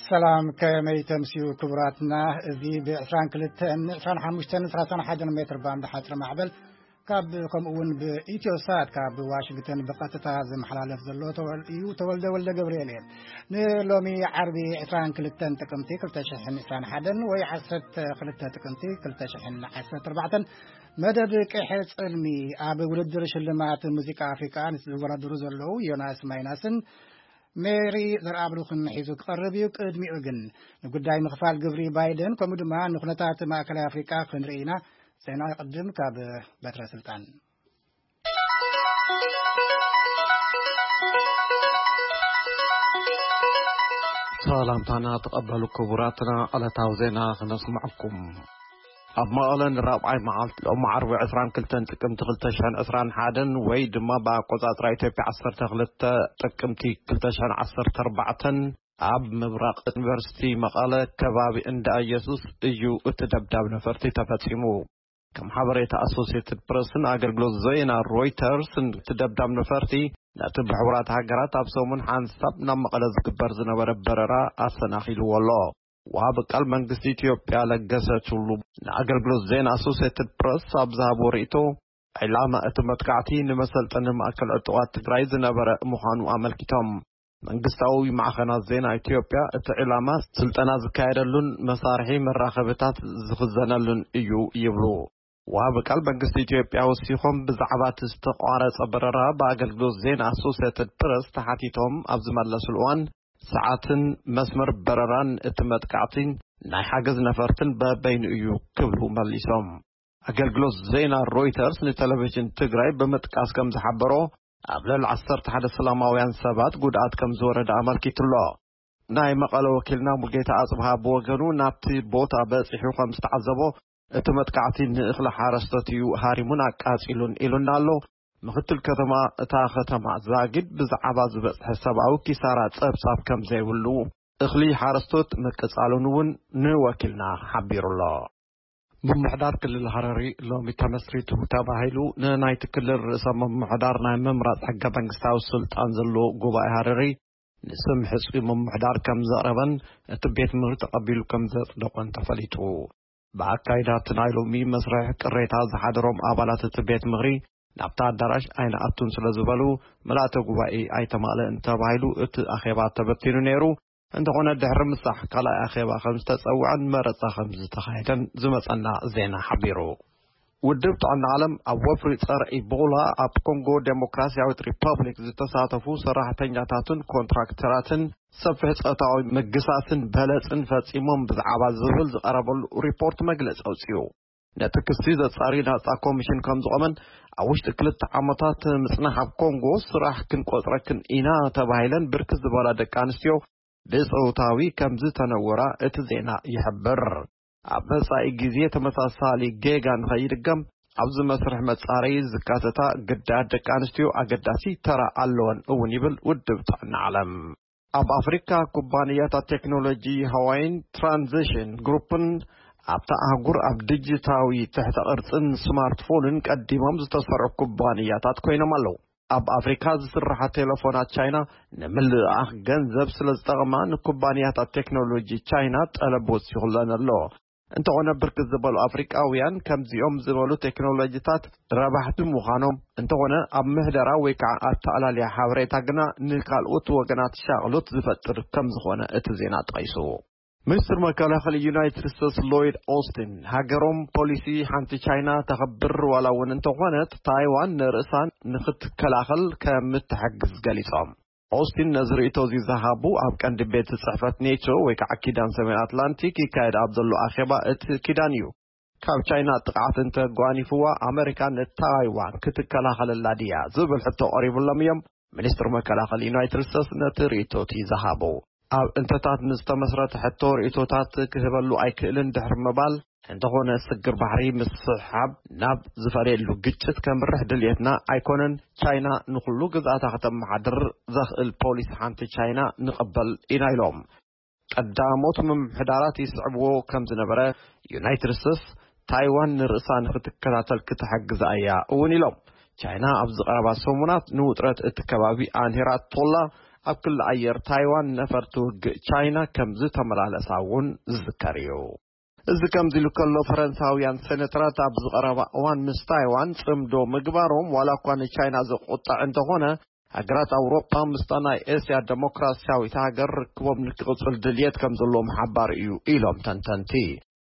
ሰላም፣ ከመይ ተምስዩ ክቡራትና? እዚ ብ22፣ 25፣ 31 ሜትር ባንድ ሓጽር ማዕበል ካብ፣ ከምኡ እውን ብኢትዮ ሳት ካብ ዋሽንግተን ብቐጥታ ዝመሓላለፍ ዘሎ ተወል-፣ እዩ። ተወልደ ወልደ ገብርኤል እየ። ንሎሚ ዓርቢ 22 ጥቅምቲ 2021 ወይ 12 ጥቅምቲ 2014 መደብ ቅሐ ጽልሚ ኣብ ውድድር ሽልማት ሙዚቃ ኣፍሪቃ ምስ ዝወዳደሩ ዘለዉ ዮናስ ማይናስን ሜሪ ዘርኣብሩኽን ሒዙ ክቐርብ እዩ። ቅድሚኡ ግን ንጉዳይ ምኽፋል ግብሪ ባይደን፣ ከምኡ ድማ ንኩነታት ማእከላይ ኣፍሪቃ ክንርኢ ኢና። ዜና ይቕድም ካብ በትረ ስልጣን። ሰላምታና ተቐበሉ ክቡራትና፣ ዕለታዊ ዜና ክነስምዐኩም። ኣብ መቐለ ንራብዓይ መዓልቲ ሎሚ ዓርቢ 22 ጥቅምቲ 2021 ወይ ድማ ብኣቆጻጽራ ኢትዮጵያ 12 ጥቅምቲ 2014 ኣብ ምብራቕ ዩኒቨርሲቲ መቐለ ከባቢ እንዳ ኢየሱስ እዩ እቲ ደብዳብ ነፈርቲ ተፈጺሙ። ከም ሓበሬታ ኣሶሲየትድ ፕረስን ኣገልግሎት ዜና ሮይተርስን፣ እቲ ደብዳብ ነፈርቲ ነቲ ብሕቡራት ሃገራት ኣብ ሰሙን ሓንሳብ ናብ መቐለ ዝግበር ዝነበረ በረራ ኣሰናኺልዎ ኣሎ። ወሃቢ ቃል መንግስቲ ኢትዮጵያ ለገሰ ቱሉ ንኣገልግሎት ዜና ኣሶሲየትድ ፕረስ ኣብ ዝሃብዎ ርእይቶ፣ ዕላማ እቲ መጥቃዕቲ ንመሰልጠኒ ማእከል ዕጡቓት ትግራይ ዝነበረ ምዃኑ ኣመልኪቶም። መንግስታዊ ማዕኸናት ዜና ኢትዮጵያ፣ እቲ ዕላማ ስልጠና ዝካየደሉን መሳርሒ መራኸብታት ዝኽዘነሉን እዩ ይብሉ። ወሃቢ ቃል መንግስቲ ኢትዮጵያ ወሲኾም፣ ብዛዕባ እቲ ዝተቋረጸ በረራ ብኣገልግሎት ዜና ኣሶሲየትድ ፕረስ ተሓቲቶም ኣብ ዝመለስሉ እዋን፣ ሰዓትን መስመር በረራን እቲ መጥቃዕቲን ናይ ሓገዝ ነፈርትን በበይኑ እዩ ክብሉ መሊሶም። ኣገልግሎት ዜና ሮይተርስ ንቴሌቪዥን ትግራይ ብምጥቃስ ከም ዝሓበሮ፣ ኣብ ልዕሊ 11 ሰላማውያን ሰባት ጉድኣት ከም ዝወረደ ኣመልኪቱ ኣሎ። ናይ መቐለ ወኪልና ሙልጌታ ኣጽብሃ ብወገኑ ናብቲ ቦታ በጺሑ ከም ዝተዓዘቦ፣ እቲ መጥቃዕቲ ንእኽሊ ሓረስቶት እዩ ሃሪሙን ኣቃጺሉን ኢሉና ኣሎ። ምኽትል ከተማ እታ ከተማ ዛጊድ ብዛዕባ ዝበጽሐ ሰብኣዊ ኪሳራ ጸብጻብ ከም ዘይብሉ፣ እኽሊ ሓረስቶት ምቅጻሉን እውን ንወኪልና ሓቢሩ ኣሎ። ምምሕዳር ክልል ሃረሪ ሎሚ ተመስሪቱ ተባሂሉ ንናይቲ ክልል ርእሰ ምምሕዳር ናይ ምምራጽ ሕገ መንግስታዊ ስልጣን ዘለዎ ጉባኤ ሃረሪ ንስም ሕጹይ ምምሕዳር ከም ዘቕረበን እቲ ቤት ምኽሪ ተቐቢሉ ከም ዘጽደቖን ተፈሊጡ። ብኣካይዳ እቲ ናይ ሎሚ መስርሕ ቅሬታ ዝሓደሮም ኣባላት እቲ ቤት ምኽሪ ናብታ ኣዳራሽ ኣይንኣቱን ስለ ዝበሉ፣ ምልኣተ ጉባኤ ኣይተማልእን ተባሂሉ እቲ ኣኼባ ተበቲኑ ነይሩ። እንተኾነ፣ ድሕሪ ምሳሕ ካልኣይ ኣኼባ ከም ዝተጸውዐን መረጻ ከም ዝተኻየደን ዝመጸና ዜና ሓቢሩ። ውድብ ጥዕና ዓለም ኣብ ወፍሪ ጸረ ኢቦላ ኣብ ኮንጎ ዴሞክራሲያዊት ሪፐብሊክ ዝተሳተፉ ሰራሕተኛታትን ኮንትራክተራትን ሰፊሕ ጾታዊ ምግሳስን በለጽን ፈጺሞም ብዛዕባ ዝብል ዝቐረበሉ ሪፖርት መግለጺ ኣውጺኡ። ነቲ ክሲ ዘጻሪ ናጻ ኮሚሽን ከም ዝቖመን ኣብ ውሽጢ ክልተ ዓመታት ምጽናሕ ኣብ ኮንጎ ስራሕ ክንቆጽረክን ኢና ተባሂለን ብርክት ዝበላ ደቂ ኣንስትዮ ብጾታዊ ከም ዝተነወራ እቲ ዜና ይሕብር። ኣብ መጻኢ ግዜ ተመሳሳሊ ጌጋ ንኸይድገም ኣብዚ መስርሕ መጻረዪ ዝካተታ ግዳያት ደቂ ኣንስትዮ ኣገዳሲ ተራ ኣለወን እውን ይብል ውድብ ጥዕና ዓለም። ኣብ ኣፍሪካ ኩባንያታት ቴክኖሎጂ ሃዋይን ትራንዚሽን ግሩፕን ኣብታ ኣህጉር ኣብ ዲጂታዊ ትሕተ ቅርጽን ስማርትፎንን ቀዲሞም ዝተሰርዑ ኩባንያታት ኮይኖም ኣለዉ። ኣብ ኣፍሪካ ዝስርሓ ቴሌፎናት ቻይና ንምልኣኽ ገንዘብ ስለ ዝጠቕማ ንኩባንያታት ቴክኖሎጂ ቻይና ጠለብ ወሲኹለን ኣሎ። እንተኾነ ብርክት ዝበሉ ኣፍሪቃውያን ከምዚኦም ዝበሉ ቴክኖሎጂታት ረባሕቲ ምዃኖም፣ እንተኾነ ኣብ ምህደራ ወይ ከዓ ኣተኣላልያ ሓበሬታ ግና ንካልኦት ወገናት ሻቕሎት ዝፈጥር ከም ዝኾነ እቲ ዜና ጠቒሱ። ሚኒስትር መከላኸሊ ዩናይትድ ስቴትስ ሎይድ ኦስቲን፣ ሃገሮም ፖሊሲ ሓንቲ ቻይና ተኸብር ዋላ እውን እንተኾነት ታይዋን ንርእሳን ንክትከላኸል ከም እትሕግዝ ገሊጾም። ኦስቲን ነዚ ርእይቶ እዚ ዝሃቡ ኣብ ቀንዲ ቤት ጽሕፈት ኔቶ ወይ ከዓ ኪዳን ሰሜን ኣትላንቲክ ይካየድ ኣብ ዘሎ ኣኼባ እቲ ኪዳን እዩ። ካብ ቻይና ጥቕዓት እንተጓኒፍዋ ኣመሪካ ንታይዋን ክትከላኸለላ ድያ ዝብል ሕቶ ቀሪቡሎም እዮም። ሚኒስትር መከላኸሊ ዩናይትድ ስቴትስ ነቲ ርእይቶ እቲ ዝሃቡ ኣብ እንተታት ንዝተመስረተ ሕቶ ርእይቶታት ክህበሉ ኣይክእልን ድሕሪ ምባል፣ እንተኾነ ስግር ባሕሪ ምስሕሓብ ናብ ዝፈለየሉ ግጭት ከምርሕ ድልየትና ኣይኮነን። ቻይና ንኹሉ ግዝኣታ ከተመሓድር ዘኽእል ፖሊሲ ሓንቲ ቻይና ንቐበል ኢና ኢሎም። ቀዳሞት ምምሕዳራት ይስዕብዎ ከም ዝነበረ ዩናይትድ ስቴትስ ታይዋን ንርእሳ ንክትከታተል ክትሕግዛ እያ እውን ኢሎም። ቻይና ኣብዚ ቀረባ ሰሙናት ንውጥረት እቲ ከባቢ ኣንሂራቶላ ኣብ ክሊ ኣየር ታይዋን ነፈርቲ ውግእ ቻይና ከም ዝተመላለሳ እውን ዝዝከር እዩ። እዚ ከምዚ ኢሉ ከሎ፣ ፈረንሳውያን ሴኔተራት ኣብዚ ቀረባ እዋን ምስ ታይዋን ጽምዶ ምግባሮም ዋላ እኳ ንቻይና ዘቆጥዕ እንተኾነ፣ ሃገራት ኣውሮጳ ምስታ ናይ ኤስያ ዴሞክራሲያዊት ሃገር ርክቦም ንክቕጽል ድልየት ከም ዘለዎም ሓባር እዩ ኢሎም ተንተንቲ።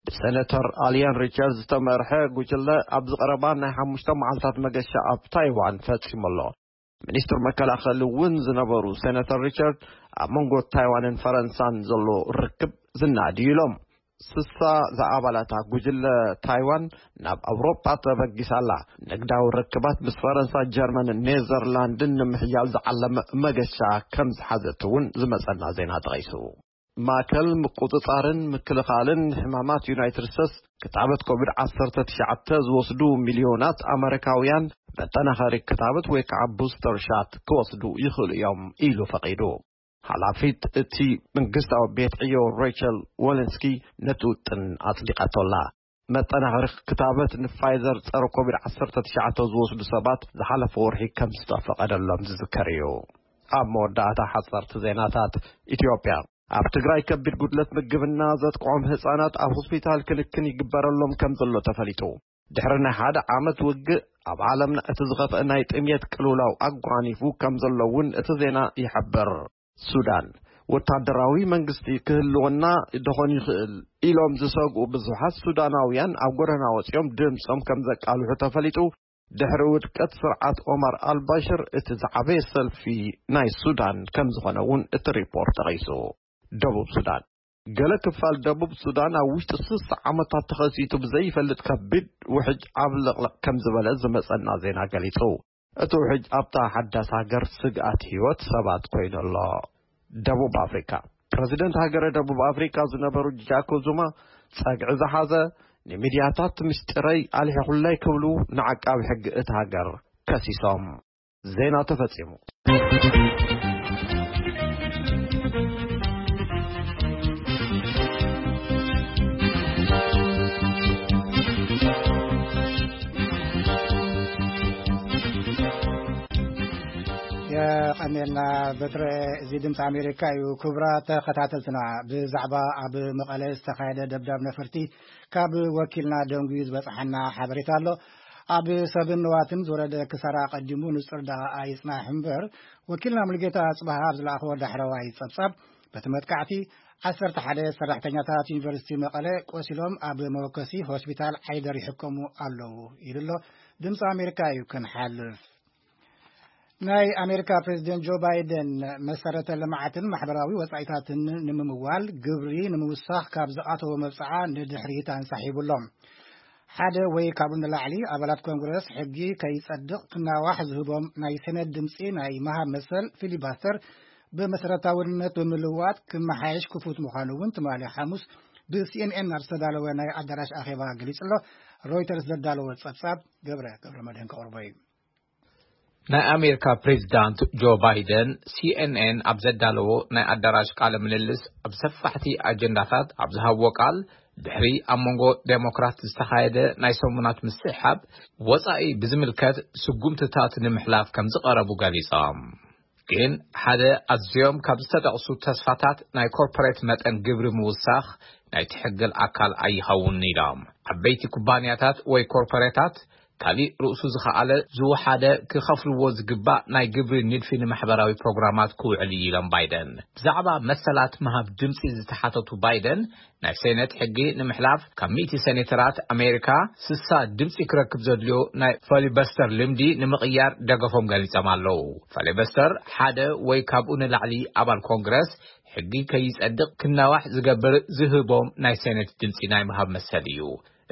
ብሴኔተር ኣልያን ሪቻርድ ዝተመርሐ ጉጅለ ኣብዚ ቀረባ ናይ ሓሙሽተ መዓልታት መገሻ ኣብ ታይዋን ፈጺሙ ኣሎ። ሚኒስትር መከላኸሊ እውን ዝነበሩ ሴናተር ሪቻርድ፣ ኣብ መንጎ ታይዋንን ፈረንሳን ዘሎ ርክብ ዝናድ እዩ ኢሎም። ስሳ ዝኣባላታ ጉጅለ ታይዋን ናብ ኣውሮጳ ተበጊሳ ኣላ። ንግዳዊ ርክባት ምስ ፈረንሳ፣ ጀርመንን ኔዘርላንድን ንምሕያል ዝዓለመ መገሻ ከም ዝሓዘት እውን ዝመጸና ዜና ጠቒሱ። ማእከል ምቁጽጻርን ምክልኻልን ሕማማት ዩናይትድ ስቴትስ፣ ክታበት ኮቪድ ዓሰርተ ትሽዓተ ዝወስዱ ሚልዮናት ኣመሪካውያን መጠናኸሪ ክታበት ወይ ከዓ ቡስተር ሻት ክወስዱ ይኽእሉ እዮም ኢሉ ፈቒዱ። ሓላፊት እቲ መንግስታዊ ቤት ዕዮ ሬቸል ወለንስኪ ነቲ ውጥን ኣጽዲቓቶ ኣላ። መጠናኸሪ ክታበት ንፋይዘር ጸረ ኮቪድ ዓሰርተ ትሽዓተ ዝወስዱ ሰባት ዝሓለፈ ወርሒ ከም ዝተፈቐደሎም ዝዝከር እዩ። ኣብ መወዳእታ ሓጸርቲ ዜናታት። ኢትዮጵያ፣ ኣብ ትግራይ ከቢድ ጉድለት ምግብና ዘጥቅዖም ህጻናት ኣብ ሆስፒታል ክንክን ይግበረሎም ከም ዘሎ ተፈሊጡ። ድሕሪ ናይ ሓደ ዓመት ውግእ፣ ኣብ ዓለምና እቲ ዝኸፍአ ናይ ጥምየት ቅልውላው ኣጓኒፉ ከም ዘሎ እውን እቲ ዜና ይሕብር። ሱዳን፣ ወታደራዊ መንግስቲ ክህልወና ደኾን ይኽእል ኢሎም ዝሰግኡ ብዙሓት ሱዳናውያን ኣብ ጎደና ወጺኦም ድምጾም ከም ዘቃልሑ ተፈሊጡ። ድሕሪ ውድቀት ስርዓት ኦማር ኣልባሽር እቲ ዝዓበየ ሰልፊ ናይ ሱዳን ከም ዝኾነ እውን እቲ ሪፖርት ጠቒሱ። ደቡብ ሱዳን፣ ገለ ክፋል ደቡብ ሱዳን ኣብ ውሽጢ ስሳ ዓመታት ተኸሲቱ ብዘይፈልጥ ከቢድ ውሕጅ ዓብለቕለቕ ከም ዝበለ ዝመጸና ዜና ገሊጹ። እቲ ውሕጅ ኣብታ ሓዳስ ሃገር ስግኣት ህይወት ሰባት ኮይኑ ኣሎ። ደቡብ ኣፍሪካ፣ ፕረዚደንት ሃገረ ደቡብ ኣፍሪካ ዝነበሩ ጃኮብ ዙማ፣ ጸግዒ ዝሓዘ፣ ንሚድያታት ምስጢረይ ኣልሒኹለይ ክብሉ ንዓቃቢ ሕጊ እቲ ሃገር ከሲሶም። ዜና ተፈጺሙ። የቐኔልና በትረ። እዚ ድምፂ ኣሜሪካ እዩ። ክቡራት ተኸታተልትና፣ ብዛዕባ ኣብ መቐለ ዝተኻየደ ደብዳብ ነፈርቲ ካብ ወኪልና ደንጉዩ ዝበፅሓና ሓበሬታ ኣሎ። ኣብ ሰብን ንዋትን ዝወረደ ክሳራ ኣቐዲሙ ንፁር ደኣ ኣይፅናሕ እምበር፣ ወኪልና ሙሉጌታ ኣፅብሃ ኣብ ዝለኣኸዎ ዳሕረዋይ ፀብፃብ፣ በቲ መጥቃዕቲ ዓሰርተ ሓደ ሰራሕተኛታት ዩኒቨርሲቲ መቐለ ቆሲሎም ኣብ መወከሲ ሆስፒታል ዓይደር ይሕከሙ ኣለዉ ኢሉ ኣሎ። ድምፂ ኣሜሪካ እዩ ክንሓልፍ። ናይ ኣሜሪካ ፕሬዚደንት ጆ ባይደን መሰረተ ልምዓትን ማሕበራዊ ወፃኢታትን ንምምዋል ግብሪ ንምውሳኽ ካብ ዝኣተዎ መብፅዓ ንድሕሪት ኣንሳሒቡ ኣሎ። ሓደ ወይ ካብኡ ንላዕሊ ኣባላት ኮንግረስ ሕጊ ከይጸድቕ ክናዋሕ ዝህቦም ናይ ሴኔት ድምጺ ናይ ምሃብ መሰል ፊሊባስተር ብመሰረታውነት ብምልዋጥ ክመሓየሽ ክፉት ምዃኑ እውን ትማሊ ሓሙስ ብሲኤንኤን ኣብ ዝተዳለወ ናይ ኣዳራሽ ኣኼባ ገሊጹ ኣሎ። ሮይተርስ ዘዳለወ ጸብጻብ ገብረ ገብረ መድህን ከቕርቦ እዩ። ናይ ኣሜሪካ ፕሬዚዳንት ጆ ባይደን ሲኤንኤን ኣብ ዘዳለዎ ናይ ኣዳራሽ ቃለ ምልልስ ኣብ ሰፋሕቲ ኣጀንዳታት ኣብ ዝሃብዎ ቃል፣ ድሕሪ ኣብ መንጎ ዴሞክራት ዝተኻየደ ናይ ሰሙናት ምስሕሓብ ወጻኢ ብዝምልከት ስጉምትታት ንምሕላፍ ከም ዝቐረቡ ገሊጾም። ግን ሓደ ኣዝዮም ካብ ዝተጠቕሱ ተስፋታት ናይ ኮርፖሬት መጠን ግብሪ ምውሳኽ ናይቲ ሕግል ኣካል ኣይኸውን ኢሎም። ዓበይቲ ኩባንያታት ወይ ኮርፖሬታት ካሊእ ርእሱ ዝኸኣለ ዝወሓደ ክኸፍልዎ ዝግባእ ናይ ግብሪ ንድፊ ንማሕበራዊ ፕሮግራማት ክውዕል እዩ ኢሎም ባይደን። ብዛዕባ መሰላት ምሃብ ድምፂ ዝተሓተቱ ባይደን ናይ ሴኔት ሕጊ ንምሕላፍ ካብ ሚእቲ ሴኔተራት ኣሜሪካ ስሳ ድምፂ ክረክብ ዘድልዮ ናይ ፈሊበስተር ልምዲ ንምቕያር ደገፎም ገሊፆም ኣለዉ። ፈሊበስተር ሓደ ወይ ካብኡ ንላዕሊ ኣባል ኮንግረስ ሕጊ ከይጸድቕ ክናዋሕ ዝገብር ዝህቦም ናይ ሴኔት ድምፂ ናይ ምሃብ መሰል እዩ።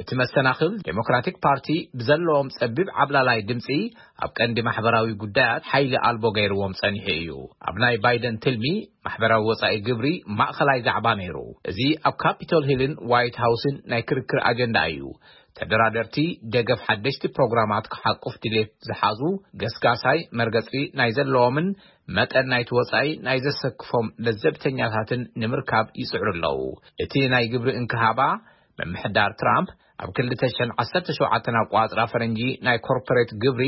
እቲ መሰናኽል ዴሞክራቲክ ፓርቲ ብዘለዎም ጸቢብ ዓብላላይ ድምፂ ኣብ ቀንዲ ማሕበራዊ ጉዳያት ሓይሊ ኣልቦ ገይርዎም ጸኒሑ እዩ። ኣብ ናይ ባይደን ትልሚ ማሕበራዊ ወጻኢ ግብሪ ማእኸላይ ዛዕባ ነይሩ። እዚ ኣብ ካፒቶል ሂልን ዋይት ሃውስን ናይ ክርክር ኣጀንዳ እዩ። ተደራደርቲ ደገፍ ሓደሽቲ ፕሮግራማት ክሓቁፍ ድሌት ዝሓዙ ገስጋሳይ መርገጺ ናይ ዘለዎምን መጠን ናይቲ ወጻኢ ናይ ዘሰክፎም ለዘብተኛታትን ንምርካብ ይጽዕሩ ኣለዉ። እቲ ናይ ግብሪ እንክሃባ ምምሕዳር ትራምፕ ኣብ ክልተ ሽሕን ዓሰርተ ሸውዓተን ኣቋጽራ ፈረንጂ ናይ ኮርፖሬት ግብሪ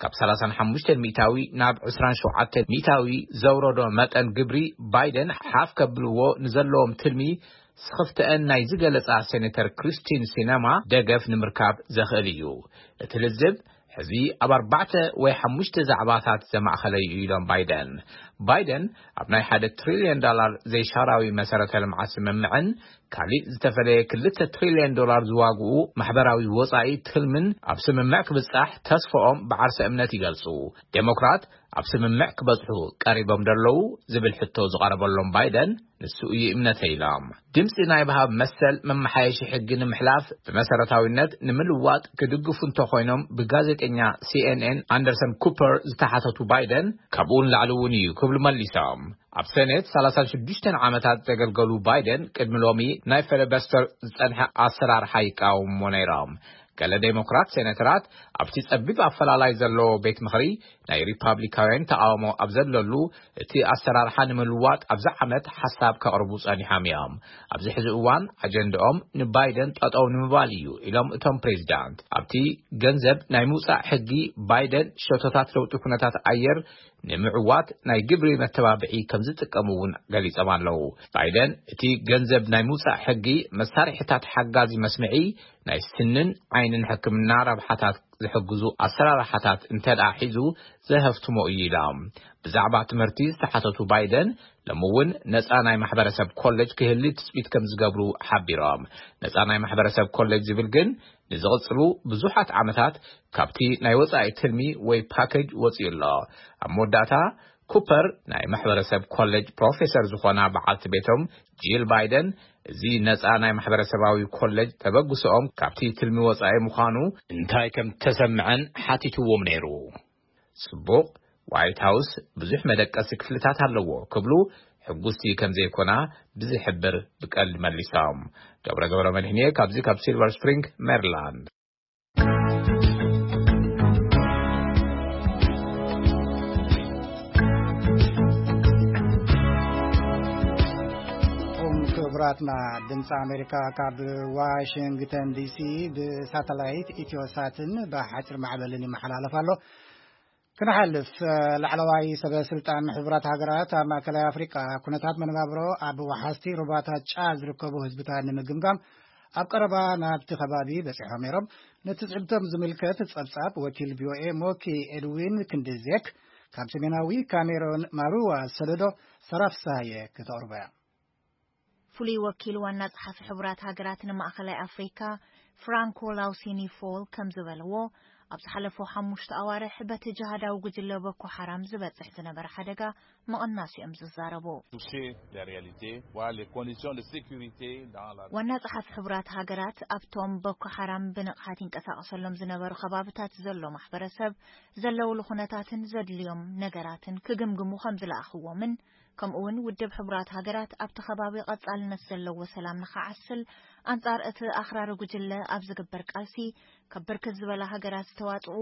ካብ ሰላሳን ሓሙሽተን ሚእታዊ ናብ ዕስራን ሸውዓተን ሚእታዊ ዘውረዶ መጠን ግብሪ፣ ባይደን ሓፍ ከብልዎ ንዘለዎም ትልሚ ስኽፍተአን ናይ ዝገለጻ ሴኔተር ክሪስቲን ሲነማ ደገፍ ንምርካብ ዘኽእል እዩ። እቲ ልዝብ ሕዚ ኣብ ኣርባዕተ ወይ ሓሙሽተ ዛዕባታት ዘማእኸለ እዩ ኢሎም ባይደን። ባይደን ኣብ ናይ ሓደ ትሪልዮን ዶላር ዘይሻራዊ መሰረተ ልምዓት ስምምዕን ካሊእ ዝተፈለየ ክልተ ትሪልዮን ዶላር ዝዋግኡ ማሕበራዊ ወጻኢ ትልምን ኣብ ስምምዕ ክብጻሕ ተስፋኦም ብዓርሰ እምነት ይገልጹ። ዴሞክራት ኣብ ስምምዕ ክበጽሑ ቀሪቦም ደለዉ ዝብል ሕቶ ዝቐረበሎም ባይደን፣ ንሱ እዩ እምነተ ኢሎም። ድምፂ ናይ ባህብ መሰል መመሓየሺ ሕጊ ንምሕላፍ ብመሰረታዊነት ንምልዋጥ ክድግፉ እንተኾይኖም፣ ብጋዜጠኛ ሲኤንኤን ኣንደርሰን ኩፐር ዝተሓተቱ ባይደን፣ ካብኡ ንላዕሊ እውን እዩ ክብሉ መሊሶም። ኣብ ሰኔት ሰላሳን ሽዱሽተን ዓመታት ዘገልገሉ ባይደን፣ ቅድሚ ሎሚ ናይ ፈለበስተር ዝጸንሐ ኣሰራርሓ ይቃወምዎ ነይሮም። ገለ ዴሞክራት ሴኔተራት ኣብቲ ጸቢብ ኣፈላላይ ዘለዎ ቤት ምኽሪ ናይ ሪፓብሊካውያን ተቓውሞ ኣብ ዘለሉ፣ እቲ ኣሰራርሓ ንምልዋጥ ኣብዚ ዓመት ሓሳብ ከቕርቡ ጸኒሖም እዮም። ኣብዚ ሕዚ እዋን ኣጀንዳኦም ንባይደን ጠጠው ንምባል እዩ ኢሎም እቶም ፕሬዚዳንት። ኣብቲ ገንዘብ ናይ ምውጻእ ሕጊ፣ ባይደን ሸቶታት ለውጢ ኩነታት ኣየር ንምዕዋት ናይ ግብሪ መተባብዒ ከም ዝጥቀሙ እውን ገሊጾም ኣለዉ። ባይደን እቲ ገንዘብ ናይ ምውጻእ ሕጊ መሳርሒታት ሓጋዚ መስምዒ፣ ናይ ስንን ዓይንን ሕክምና ረብሓታት ዝሕግዙ ኣሰራርሓታት እንተደኣ ሒዙ ዘሀፍትሞ እዩ ኢሎም። ብዛዕባ ትምህርቲ ዝተሓተቱ ባይደን፣ ሎሚ እውን ነጻ ናይ ማሕበረሰብ ኮሌጅ ክህሊ ትጽቢት ከም ዝገብሩ ሓቢሮም። ነጻ ናይ ማሕበረሰብ ኮሌጅ ዝብል ግን ንዝቕጽሉ ብዙሓት ዓመታት ካብቲ ናይ ወጻኢ ትልሚ ወይ ፓኬጅ ወጺኡ ኣሎ። ኣብ መወዳእታ፣ ኩፐር ናይ ማሕበረሰብ ኮሌጅ ፕሮፌሰር ዝኾና በዓልቲ ቤቶም ጂል ባይደን፣ እዚ ነጻ ናይ ማሕበረሰባዊ ኮሌጅ ተበግሶኦም ካብቲ ትልሚ ወጻኢ ምዃኑ እንታይ ከም ተሰምዐን ሓቲትዎም ነይሩ። ጽቡቕ፣ ዋይት ሃውስ ብዙሕ መደቀሲ ክፍልታት ኣለዎ ክብሉ ሕጉስቲ ከም ዘይኮና ብዝሕብር ብቀልዲ መሊሶም። ገብረ ገብረ መድህንየ ካብዚ ካብ ሲልቨር ስፕሪንግ ሜሪላንድ። ክቡራትና ድምፂ ኣሜሪካ ካብ ዋሽንግተን ዲሲ ብሳተላይት ኢትዮሳትን ብሓፂር ማዕበልን ይመሓላለፍ ኣሎ። ክንሓልፍ፣ ላዕለዋይ ሰበ ስልጣን ሕቡራት ሃገራት ኣብ ማእከላይ ኣፍሪቃ ኩነታት መነባብሮ ኣብ ወሓዝቲ ሩባታት ጫድ ዝርከቡ ህዝብታት ንምግምጋም ኣብ ቀረባ ናብቲ ከባቢ በጺሖም ነይሮም። ነቲ ትዕዝብቶም ዝምልከት ጸብጻብ ወኪል ቪኦኤ ሞኪ ኤድዊን ክንድዜክ ካብ ሰሜናዊ ካሜሮን ማሩዋ ሰለዶ ሰራፍሳየ ከተቕርቦ እያ። ፍሉይ ወኪል ዋና ጸሓፊ ሕቡራት ሃገራት ንማእከላይ ኣፍሪካ ፍራንኮ ላውሲኒ ፎል ከም ዝበልዎ፣ ኣብ ዝሓለፉ ሓሙሽተ ኣዋርሕ በቲ ጅሃዳዊ ጉጅለ ቦኮ ሓራም ዝበጽሕ ዝነበረ ሓደጋ ምቕናሱ እዮም ዝዛረቡ። ዋና ጸሓፊ ሕቡራት ሃገራት ኣብቶም ቦኮ ሓራም ብንቕሓት ይንቀሳቐሰሎም ዝነበሩ ከባብታት ዘሎ ማሕበረሰብ ዘለውሉ ኩነታትን ዘድልዮም ነገራትን ክግምግሙ ከም ዝለኣኽዎምን፣ ከምኡ እውን ውድብ ሕቡራት ሃገራት ኣብቲ ከባቢ ቀጻልነት ዘለዎ ሰላም ንኸዓስል ኣንጻር እቲ ኣኽራሪ ጉጅለ ኣብ ዝግበር ቃልሲ ካብ ብርክት ዝበላ ሃገራት ዝተዋጽኡ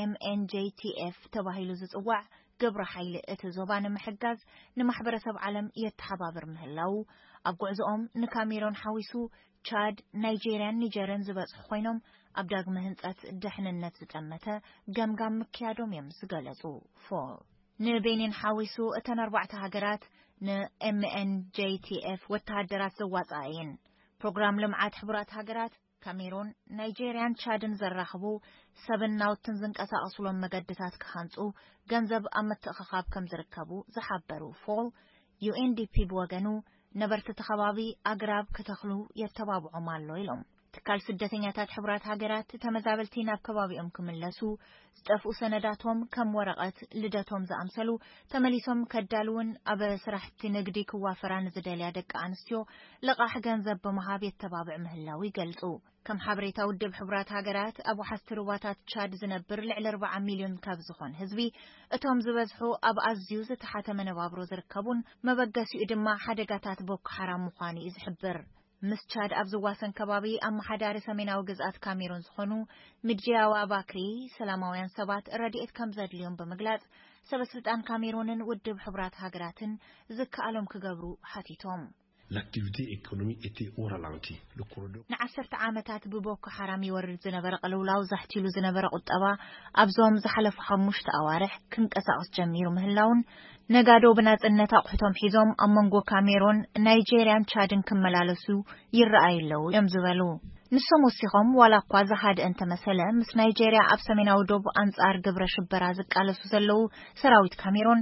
ኤምኤንጄቲኤፍ ተባሂሉ ዝጽዋዕ ግብረ ሓይሊ እቲ ዞባ ንምሕጋዝ ንማሕበረሰብ ዓለም የተሓባብር ምህላዉ፣ ኣብ ጉዕዞኦም ንካሜሮን ሓዊሱ ቻድ፣ ናይጄርያን ኒጀርን ዝበጽሑ ኮይኖም፣ ኣብ ዳግመ ህንጸት ድሕንነት ዝጠመተ ገምጋም ምክያዶም እዮም ዝገለጹ። ፎል ንቤኒን ሓዊሱ እተን ኣርባዕተ ሃገራት ንኤምኤንጄቲኤፍ ወተሃደራት ዘዋጽኣ እየን። ፕሮግራም ልምዓት ሕቡራት ሃገራት ካሜሮን፣ ናይጄርያን ቻድን ዘራኽቡ ሰብን ናውትን ዝንቀሳቐሱሎም መገድታት ክሃንጹ ገንዘብ ኣብ ምትእኽኻብ ከም ዝርከቡ ዝሓበሩ ፎል፣ ዩኤንዲፒ ብወገኑ ነበርቲ እቲ ከባቢ ኣግራብ ክተኽሉ የተባብዖም ኣሎ ኢሎም። ትካል ስደተኛታት ሕቡራት ሃገራት ተመዛበልቲ ናብ ከባቢኦም ክምለሱ፣ ዝጠፍኡ ሰነዳቶም ከም ወረቐት ልደቶም ዝኣምሰሉ ተመሊሶም ከዳልውን ኣብ ስራሕቲ ንግዲ ክዋፈራ ንዝደልያ ደቂ ኣንስትዮ ልቓሕ ገንዘብ ብምሃብ የተባብዕ ምህላው ይገልጹ። ከም ሓበሬታ ውድብ ሕቡራት ሃገራት፣ ኣብ ወሓዝቲ ሩባታት ቻድ ዝነብር ልዕሊ ኣርባዓ ሚልዮን ካብ ዝኾን ህዝቢ፣ እቶም ዝበዝሑ ኣብ ኣዝዩ ዝተሓተ መነባብሮ ዝርከቡን መበገሲኡ ድማ ሓደጋታት ቦኮ ሓራም ምዃኑ እዩ ዝሕብር። ምስ ቻድ ኣብ ዝዋሰን ከባቢ ኣመሓዳሪ ሰሜናዊ ግዝኣት ካሜሩን ዝኾኑ ሚድጂያዋ ባክሪ፣ ሰላማውያን ሰባት ረድኤት ከም ዘድልዮም ብምግላጽ፣ ሰበ ስልጣን ካሜሩንን ውድብ ሕቡራት ሃገራትን ዝከኣሎም ክገብሩ ሓቲቶም። l'activité économique était au ralenti. Le corridor ንዓሰርተ ዓመታት ብቦኮ ሓራም ይወርድ ዝነበረ ቅልውላው፣ ዛሕቲሉ ዝነበረ ቁጠባ ኣብዞም ዝሓለፉ ሓሙሽተ ኣዋርሕ ክንቀሳቐስ ጀሚሩ ምህላውን፣ ነጋዶ ብናጽነት ኣቑሑቶም ሒዞም ኣብ መንጎ ካሜሮን፣ ናይጄርያን ቻድን ክመላለሱ ይረኣዩ ኣለዉ እዮም ዝበሉ። ንሶም ወሲኾም፣ ዋላ እኳ ዝሃድአ እንተመሰለ፣ ምስ ናይጄርያ ኣብ ሰሜናዊ ዶብ ኣንጻር ግብረ ሽበራ ዝቃለሱ ዘለዉ ሰራዊት ካሜሮን፣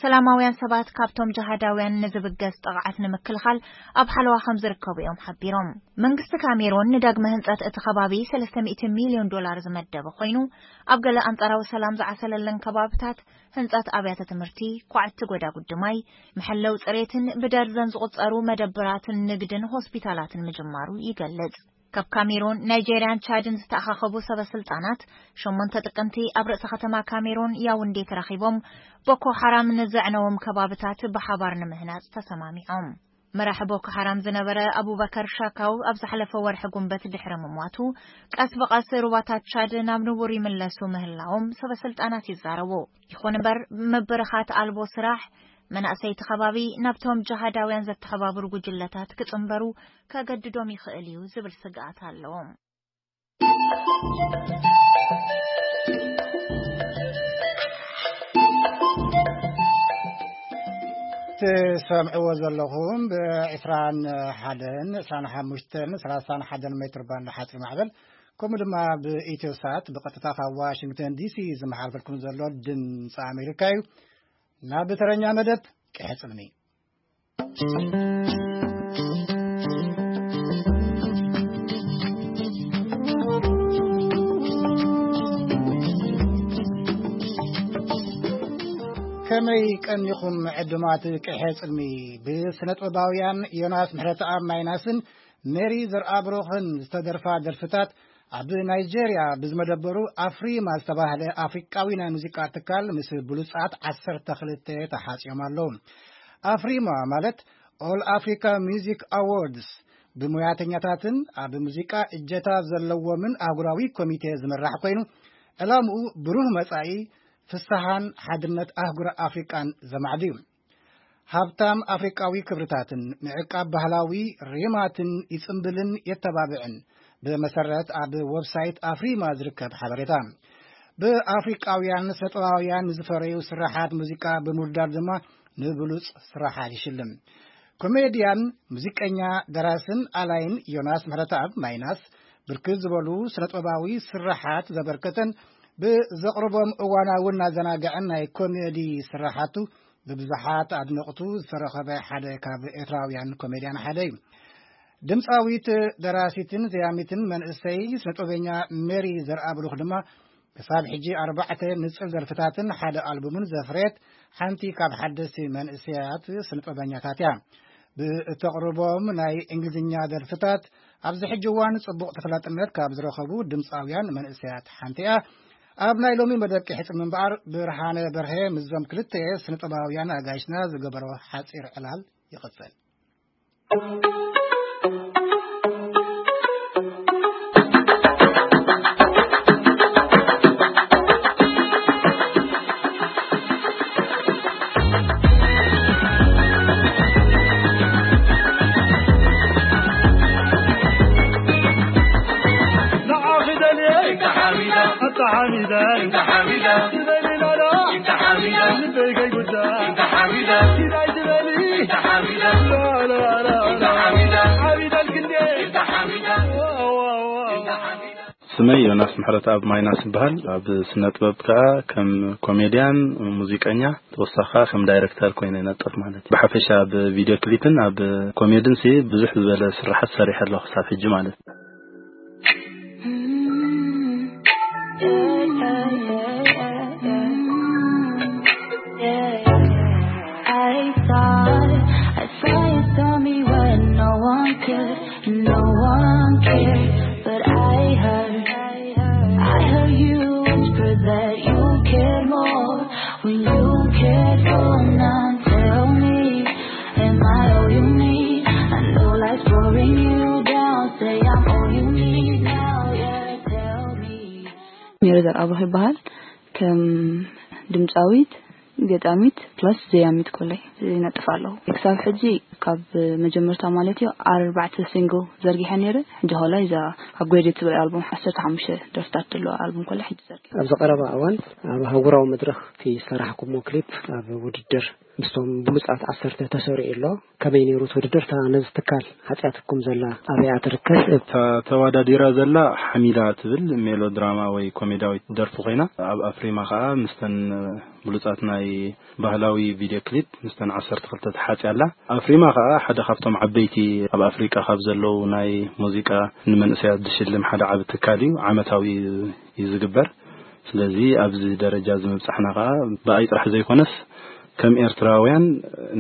ሰላማውያን ሰባት ካብቶም ጅሃዳውያን ንዝብገስ ጥቕዓት ንምክልኻል ኣብ ሓለዋ ከም ዝርከቡ እዮም ሓቢሮም። መንግስቲ ካሜሮን ንዳግመ ህንጸት እቲ ከባቢ ሰለስተ ሚእቲ ሚልዮን ዶላር ዝመደበ ኮይኑ፣ ኣብ ገለ ኣንጻራዊ ሰላም ዝዓሰለለን ከባብታት ህንጸት ኣብያተ ትምህርቲ፣ ኳዕቲ ጎዳጉዲ ማይ፣ መሐለው ጽሬትን ብደርዘን ዝቑጸሩ መደብራትን ንግድን ሆስፒታላትን ምጅማሩ ይገልጽ። ካብ ካሜሮን፣ ናይጄርያን ቻድን ዝተኣኻኸቡ ሰበ ስልጣናት ሸሞንተ ጥቅምቲ ኣብ ርእሰ ከተማ ካሜሮን ያውንዴ ተራኺቦም፣ ቦኮ ሓራም ንዘዕነዎም ከባብታት ብሓባር ንምህናጽ ተሰማሚዖም። መራሒ ቦኮ ሓራም ዝነበረ ኣቡበከር ሻካው ኣብ ዝሓለፈ ወርሒ ጉንበት ድሕሪ ምሟቱ፣ ቀስ ብቐስ ሩባታት ቻድ ናብ ንቡር ይምለሱ ምህላዎም ሰበ ስልጣናት ይዛረቡ። ይኹን እምበር፣ ምብርኻት ኣልቦ ስራሕ፣ መናእሰይቲ ከባቢ ናብቶም ጅሃዳውያን ዘተሓባብሩ ጉጅለታት ክጽንበሩ ከገድዶም ይኽእል እዩ ዝብል ስግኣት ኣለዎም። ትሰምዕዎ ዘለኹም ብ21፣ 25፣ 31 ሜትር ባንድ ሓፂር ማዕበል፣ ከምኡ ድማ ብኢትዮ ሳት ብቐጥታ ካብ ዋሽንግተን ዲሲ ዝመሓልፈልኩም ዘሎ ድምፂ ኣሜሪካ እዩ። ናብ ተረኛ መደብ ቅሐ ጽልሚ። ከመይ ቀኒኹም ዕዱማት ቅሐ ጽልሚ? ብስነ ጥበባውያን ዮናስ ምሕረተኣብ ማይናስን ሜሪ ዘርኣብሩኽን ዝተደርፋ ደርፍታት ኣብ ናይጄርያ ብዝመደበሩ ኣፍሪማ ዝተባህለ ኣፍሪቃዊ ናይ ሙዚቃ ትካል ምስ ብሉጻት ዓሰርተ ክልተ ተሓጽዮም ኣለዉ። ኣፍሪማ ማለት ኦል ኣፍሪካ ሚውዚክ ኣዎርድስ፣ ብሙያተኛታትን ኣብ ሙዚቃ እጀታ ዘለዎምን ኣህጉራዊ ኮሚቴ ዝምራሕ ኮይኑ፣ ዕላምኡ ብሩህ መጻኢ፣ ፍስሃን ሓድነት ኣህጉር ኣፍሪቃን ዘማዕዱ እዩ። ሃብታም ኣፍሪቃዊ ክብርታትን ምዕቃብ ባህላዊ ሪማትን ይጽምብልን የተባብዕን፣ ብመሰረት ኣብ ወብሳይት ኣፍሪማ ዝርከብ ሓበሬታ። ብኣፍሪቃውያን ስነጥበባውያን ዝፈረዩ ስራሓት ሙዚቃ ብምውዳድ ድማ ንብሉጽ ስራሓት ይሽልም። ኮሜድያን፣ ሙዚቀኛ፣ ደራስን ኣላይን ዮናስ ምሕረተኣብ ማይናስ፣ ብርክት ዝበሉ ስነጥበባዊ ስራሓት ዘበርከተን፣ ብዘቕርቦም እዋናውን ኣዘናግዕን ናይ ኮሜዲ ስራሓቱ ብብዙሓት ኣድነቕቱ ዝተረኸበ ሓደ ካብ ኤርትራውያን ኮሜድያን ሓደ እዩ። ድምፃዊት፣ ደራሲትን ዘያሚትን መንእሰይ ስነጥበበኛ ሜሪ ዘርኣብሩኽ ድማ ክሳብ ሕጂ ኣርባዕተ ንጽል ደርፍታትን ሓደ ኣልቡምን ዘፍረየት ሓንቲ ካብ ሓደስቲ መንእሰያት ስነጥበበኛታት እያ። ብእተቕርቦም ናይ እንግሊዝኛ ደርፍታት ኣብዚ ሕጂ እዋን ጽቡቕ ተፈላጥነት ካብ ዝረኸቡ ድምፃውያን መንእሰያት ሓንቲ እያ። ኣብ ናይ ሎሚ መደብ ቅሕጽ ምንባር ብርሃነ በርሀ ምስዞም ክልተ ስነጥበባውያን ኣጋይሽና ዝገበሮ ሓጺር ዕላል ይቕጽል። ስመይ ዮናስ ምሕረተኣብ ማይናስ ይበሃል። ኣብ ስነ ጥበብ ከኣ ከም ኮሜድያን ሙዚቀኛ፣ ተወሳኺ ከኣ ከም ዳይረክተር ኮይነ ይነጥፍ ማለት እዩ። ብሓፈሻ ኣብ ቪድዮ ክሊፕን ኣብ ኮሜድን ሲ ብዙሕ ዝበለ ስራሓት ሰሪሐ ኣለኹ ክሳብ ሕጂ ማለት እዩ። I thought I saw you saw me when no one cared, no one cared. But I heard, I heard you whisper that you cared more when you cared for none. Tell me, am I all you need? I know life's pouring you down. Say I'm all you need now, yeah, tell me. ሜሪ ዘርኣብሩኽ ይበሃል። ከም ድምፃዊት፣ ገጣሚት፣ ፕላስ ዘያሚት ኮለይ ይነጥፍ ኣለኹ። ክሳብ ሕጂ ካብ መጀመርታ ማለት እዩ ኣርባዕተ ሲንግል ዘርጊሐ ነይረ። ሕጂ ሆላይ እዛ ኣብ ግሬድ ትብል ኣልቡም ዓሰርተ ሓሙሽተ ደርፍታት ዘለዎ ኣልቡም ኮለይ ሕጂ ዘርጊሐ። ኣብዚ ቀረባ እዋን ኣብ ኣህጉራዊ መድረኽ እቲ ዝሰራሕኩሞ ክሊፕ ኣብ ውድድር ምስቶም ብሉጻት ዓሰርተ ተሰሪዑ ኣሎ። ከመይ ነይሩ እቲ ውድድር? እታ ነዚ ትካል ሓጺኣትኩም ዘላ ኣበይ እያ ትርከብ? እታ ተወዳዲራ ዘላ ሓሚዳ ትብል ሜሎድራማ ወይ ኮሜዳዊት ደርፊ ኮይና፣ ኣብ ኣፍሪማ ከኣ ምስተን ብሉጻት ናይ ባህላዊ ቪድዮ ክሊፕ ምስተን ዓሰርተ ክልተ ተሓጺያ ኣላ። ኣፍሪማ ከኣ ሓደ ካብቶም ዓበይቲ ኣብ ኣፍሪቃ ካብ ዘለዉ ናይ ሙዚቃ ንመንእሰያት ዝሽልም ሓደ ዓቢ ትካል እዩ። ዓመታዊ እዩ ዝግበር። ስለዚ ኣብዚ ደረጃ እዚ ምብጻሕና ከኣ ብኣይ ጥራሕ ዘይኮነስ ከም ኤርትራውያን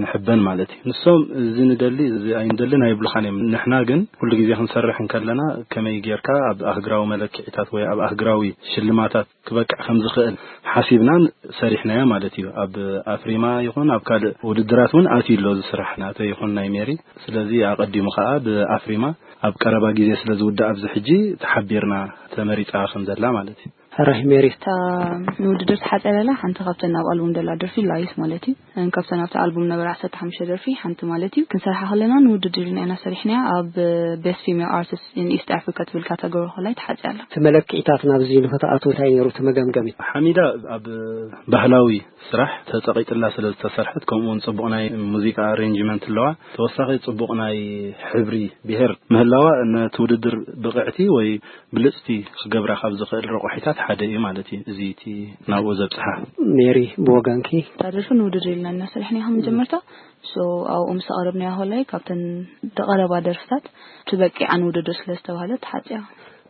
ንሕበን ማለት እዩ። ንሶም እዚ ንደሊ፣ እዚ ኣይንደልን ኣይብሉኻን እዮም። ንሕና ግን ኩሉ ግዜ ክንሰርሕ እንከለና ከመይ ጌርካ ኣብ ኣህግራዊ መለክዒታት ወይ ኣብ ኣህግራዊ ሽልማታት ክበቅዕ ከም ዝኽእል ሓሲብናን ሰሪሕናዮ ማለት እዩ። ኣብ ኣፍሪማ ይኹን ኣብ ካልእ ውድድራት እውን ኣትዩ ኣሎ እዚ ስራሕ ናተይ ይኹን ናይ ሜሪ። ስለዚ ኣቐዲሙ ከኣ ብኣፍሪማ ኣብ ቀረባ ግዜ ስለ ዝውዳእ ኣብዚ ሕጂ ተሓቢርና ተመሪጻ ከም ዘላ ማለት እዩ። ሕራይ ሜሪ። እታ ንውድድር ተሓጸረላ ሓንቲ ካብተን ኣብ ኣልቡም ደላ ደርፊ ላይስ ማለት እዩ። እን ካብተን ኣብቲ ኣልቡም ነበራ ዓሰርተ ሓሙሽተ ደርፊ ሓንቲ ማለት እዩ። ክንሰርሓ ከለና ንውድድር ኢልና ኢና ሰሪሕናያ። ኣብ ቤስት ፊሜል ኣርቲስት ኢን ኢስት ኣፍሪካ ትብል ካተጎሪ ኮላይ ተሓጽያ ኣላ። እቲ መለክዒታት ናብዚ ንኽትኣትዉ እንታይ ነይሩ እቲ መገምገሚ? ሓሚዳ ኣብ ባህላዊ ስራሕ ተጸቒጥላ ስለ ዝተሰርሐት፣ ከምኡ እውን ጽቡቕ ናይ ሙዚቃ ኣሬንጅመንት ኣለዋ። ተወሳኺ ጽቡቕ ናይ ሕብሪ ብሄር ምህላዋ ነቲ ውድድር ብቕዕቲ ወይ ብልጽቲ ክገብራ ካብ ዝኽእል ረቑሒታት ሓደ እዩ ማለት እዩ። እዚ እቲ ናብኡ ዘብጽሓ። ሜሪ፣ ብወገንኪ? እታ ደርፊ ንውድድር ኢልና እናሰርሕና ካብ መጀመርታ፣ ሶ ኣብኡ ምስ ኣቕረብናያ ኮላይ ካብተን ዝቐረባ ደርፍታት ትበቂዓ ንውድድር ስለ ዝተባህለት ተሓጽያ።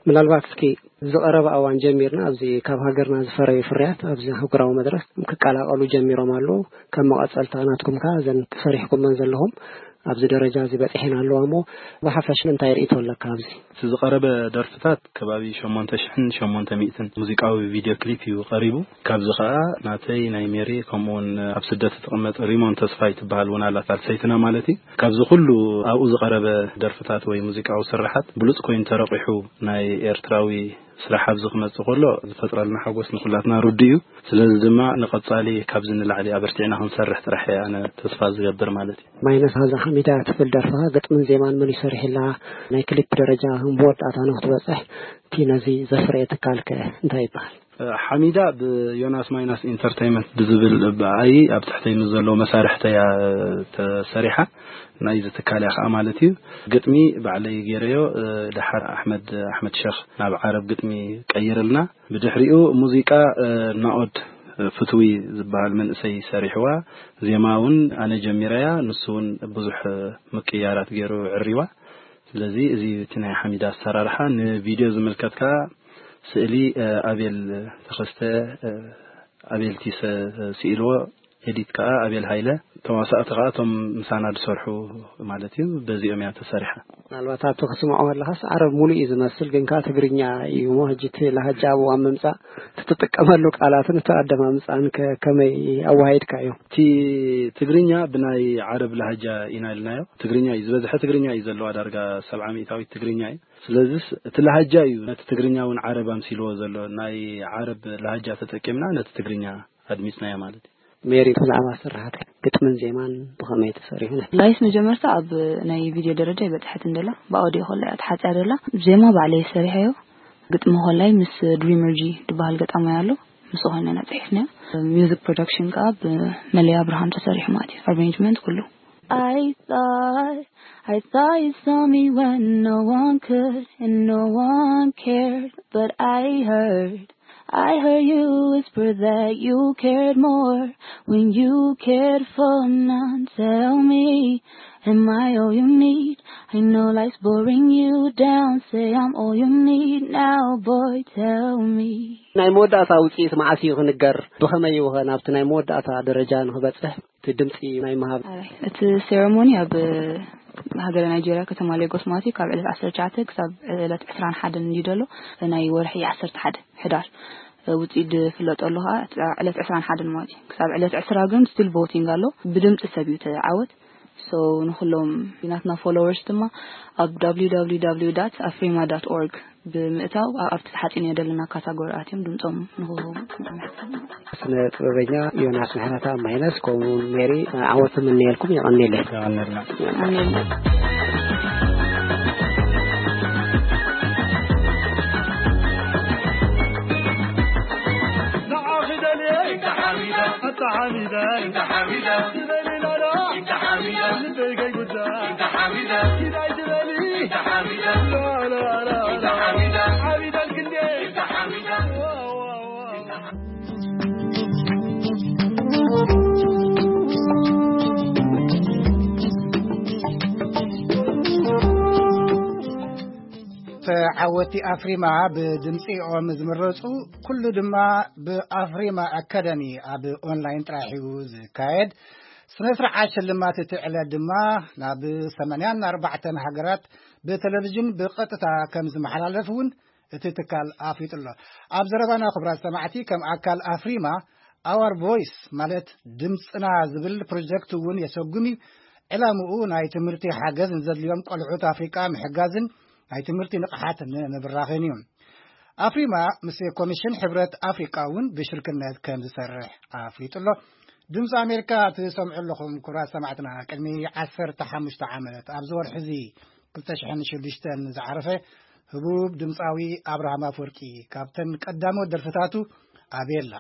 ምናልባት እስኪ ዝቐረበ እዋን ጀሚርና ኣብዚ ካብ ሃገርና ዝፈረዩ ፍርያት ኣብዚ ኣህጉራዊ መድረኽ ክቀላቐሉ ጀሚሮም ኣለዉ። ከም መቐጸልታ ናትኩም ከኣ እዘን ሰሪሕኩመን ዘለኹም ኣብዚ ደረጃ እዚ በጺሐን ኣለዋ እሞ ብሓፈሽ እንታይ ርእይቶ ኣለካ ኣብዚ? እቲ ዝቐረበ ደርፍታት ከባቢ ሸሞንተ ሽሕን ሸሞንተ ሚእትን ሙዚቃዊ ቪድዮ ክሊፕ እዩ ቀሪቡ። ካብዚ ከኣ ናተይ ናይ ሜሪ ከምኡ እውን ኣብ ስደት እትቕመጥ ሪሞን ተስፋይ ትበሃል እውን ኣላ ሳልሰይትና ማለት እዩ። ካብዚ ኩሉ ኣብኡ ዝቐረበ ደርፍታት ወይ ሙዚቃዊ ስርሓት ብሉጽ ኮይኑ ተረቂሑ ናይ ኤርትራዊ ስራሕ ኣብዚ ክመጽእ ከሎ ዝፈጥረልና ሓጎስ ንኹላትና ርዱእ እዩ። ስለዚ ድማ ንቐጻሊ ካብዚ ንላዕሊ ኣበርቲዕና ክንሰርሕ ጥራሕ እየ ኣነ ተስፋ ዝገብር ማለት እዩ። ማይነስ ሃዛ ሓሚዳ ትብል ደርፍኻ ግጥምን ዜማን መን ይሰርሕላ? ናይ ክሊፕ ደረጃ መወዳእታ ንክትበጽሕ እቲ ነዚ ዘፍረየ ትካልከ እንታይ ይበሃል? ሓሚዳ ብዮናስ ማይናስ ኢንተርቴይንመንት ብዝብል ብኣይ ኣብ ትሕተይ ምስ ዘለዉ መሳርሕተይ እያ ተሰሪሓ። ናይዚ ትካል እያ ከዓ ማለት እዩ። ግጥሚ ባዕለይ ገይረዮ። ድሓር ኣሕመድ ኣሕመድ ሸኽ ናብ ዓረብ ግጥሚ ቀይርልና። ብድሕሪኡ ሙዚቃ ናኦድ ፍትዊ ዝበሃል መንእሰይ ሰሪሕዋ። ዜማ እውን ኣነ ጀሚረያ፣ ንሱ እውን ብዙሕ ምቅያራት ገይሩ ዕሪዋ። ስለዚ እዚ እቲ ናይ ሓሚዳ ኣሰራርሓ። ንቪድዮ ዝምልከት ከዓ ስእሊ ኣቤል ተኸስተ፣ ኣቤል ቲሰ ስኢልዎ፣ ኤዲት ከዓ ኣቤል ሃይለ፣ ተዋሳእቲ ከዓ እቶም ምሳና ዝሰርሑ ማለት እዩ። በዚኦም እያ ተሰሪሓ። ምናልባት ኣብቲ ክስምዖ ከለኻስ ዓረብ ሙሉእ እዩ ዝመስል፣ ግን ከዓ ትግርኛ እዩ እሞ፣ ሕጂ እቲ ላህጃ ኣብ እዋን ምምፃእ እቲ ትጥቀመሉ ቃላትን እቲ ኣደማምፃን ከ-፣ ከመይ ኣወሃሂድካዮ? እቲ ትግርኛ ብናይ ዓረብ ላህጃ ኢና ኢልናዮ። ትግርኛ እዩ ዝበዝሐ፣ ትግርኛ እዩ ዘለዋ፣ ዳርጋ ሰብዓ ሚእታዊት ትግርኛ እዩ። ስለዚስ እቲ ላህጃ እዩ ነቲ ትግርኛ እውን ዓረብ ኣምሲልዎ ዘሎ። ናይ ዓረብ ላህጃ ተጠቂምና ነቲ ትግርኛ ኣድሚፅናዮ ማለት እዩ። ሜሪ፣ ብዛዕባ ስርሓት ግጥምን ዜማን ብኸመይ ተሰሪሑ? ላይስ መጀመርታ ኣብ ናይ ቪድዮ ደረጃ ይበፅሐት እንደላ፣ ብኣውዲዮ ኮላ እያ ተሓፅያ ደላ። ዜማ ባዕለይ ሰሪሐዮ፣ ግጥሚ ኮላይ ምስ ድሪመር ጂ ዝበሃል ገጣማይ ኣሎ፣ ምስ ኾይነ ኢና ፅሒፍናዮ። ሚውዚክ ፕሮዳክሽን ከዓ ብመለይ ኣብርሃም ተሰሪሑ ማለት እዩ፣ ኣሬንጅመንት ኩሉ። I thought, I thought you saw me when no one could and no one cared, but I heard, I heard you whisper that you cared more when you cared for none. Tell me, am I all you need? I know life's boring you down. Say I'm all you need now, boy, tell me. ናይ መወዳእታ ውፅኢት መዓስ እዩ ክንገር? ብኸመይ እዩ ኸ ናብቲ ናይ መወዳእታ ደረጃ ንክበፅሕ እቲ ድምፂ ናይ ምሃብ? ኣይ፣ እቲ ሴረሞኒ ኣብ ሃገረ ናይጄርያ ከተማ ሌጎስ ማለት እዩ፣ ካብ ዕለት ዓሰርተ ትሽዓተ ክሳብ ዕለት ዕስራን ሓደን እንድዩ ዘሎ፣ ናይ ወርሒ ዓሰርተ ሓደ ሕዳር ውፅኢት ዝፍለጠሉ ከዓ ዕለት ዕስራን ሓደን ማለት እዩ። ክሳብ ዕለት ዕስራ ግን ስቲል ቮቲንግ ኣሎ፣ ብድምፂ ሰብ እዩ ተዓወት። So ንኹሎም ናትና followers ድማ ኣብ www ኣፍሪማ ዶት ኦርግ ብምእታው ኣብቲ ተሓፂኑ የደለና ካታጎሪ ኣትዮም ድምፆም ንክህቡ። ስነ ጥበበኛ ዮናስ ምሕረተኣብ ማይነስ፣ ከምኡ እውን ሜሪ፣ ዓወት እምነየልኩም። የቐንየለይ። ይቐንልና። ተዓወቲ ኣፍሪማ ብድምፂኦም ዝምረፁ ኩሉ ድማ ብኣፍሪማ ኣካዳሚ ኣብ ኦንላይን ጥራሕ እዩ ዝካየድ። ስነ ስርዓት ሽልማት እቲ ዕለት ድማ ናብ ሰማንያን ኣርባዕተን ሃገራት ብቴሌቪዥን ብቐጥታ ከም ዝመሓላለፍ እውን እቲ ትካል ኣፍሊጡ ኣሎ። ኣብ ዘረባና ክቡራት ሰማዕቲ ከም ኣካል ኣፍሪማ ኣዋር ቮይስ ማለት ድምፅና ዝብል ፕሮጀክት እውን የሰጉም እዩ። ዕላምኡ ናይ ትምህርቲ ሓገዝ ንዘድልዮም ቆልዑት ኣፍሪቃ ምሕጋዝን ናይ ትምህርቲ ንቕሓት ንምብራኽን እዩ። ኣፍሪማ ምስ ኮሚሽን ሕብረት ኣፍሪቃ እውን ብሽርክነት ከም ዝሰርሕ ኣፍሊጡ ኣሎ። ድምፂ ኣሜሪካ ትሰምዑ ኣለኹም ክቡራት ሰማዕትና። ቅድሚ ዓሰርተ ሓሙሽተ ዓመት ኣብዚ ወርሒ እዚ ክልተ ሽሕን ሽዱሽተን ዝዓረፈ ህቡብ ድምፃዊ ኣብርሃም ኣፈወርቂ ካብተን ቀዳሞት ደርፍታቱ ኣቤላ።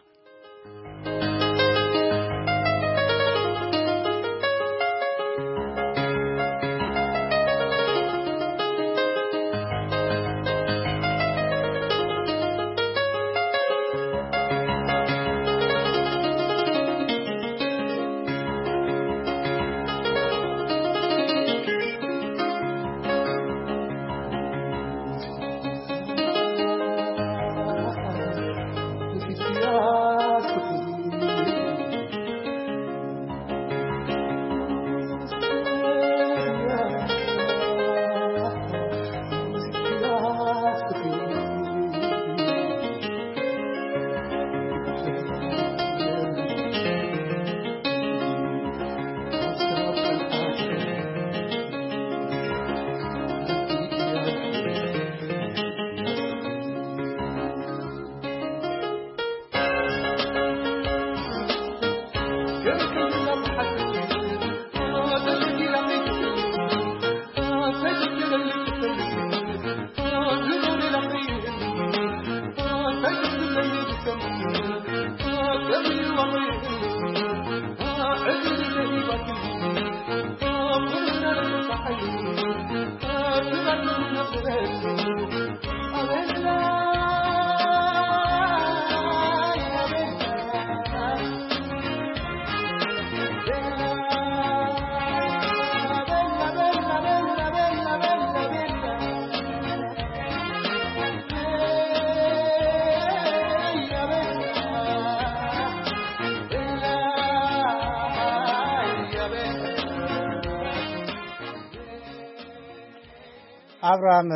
ኣብርሃም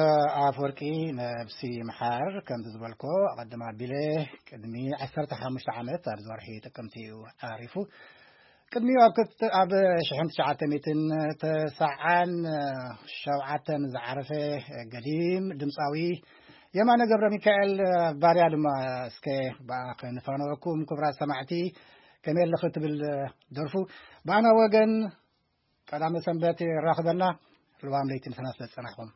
ኣፈወርቂ ነብሲ ይምሓር። ከምቲ ዝበልኮ ኣቐድም ኣቢለ ቅድሚ ዓሰርተ ሓሙሽተ ዓመት ኣብዚ ወርሒ ጥቅምቲ እዩ ዓሪፉ። ቅድሚኡ ኣብ ክልተ- ኣብ ሽሕን ትሽዓተ ሚእትን ተስዓን ሸውዓተን ዝዓረፈ ገዲም ድምፃዊ የማነ ገብረ ሚካኤል ባርያ ድማ እስከ ብኣ ከንፋነወኩም። ክቡራት ሰማዕቲ ከመይ ኣለኺ ትብል ደርፉ ብኣና ወገን ቀዳመ ሰንበት የራኽበና። ልዋም ለይቲ ምሳና ስለ ዝጸናሕኩም።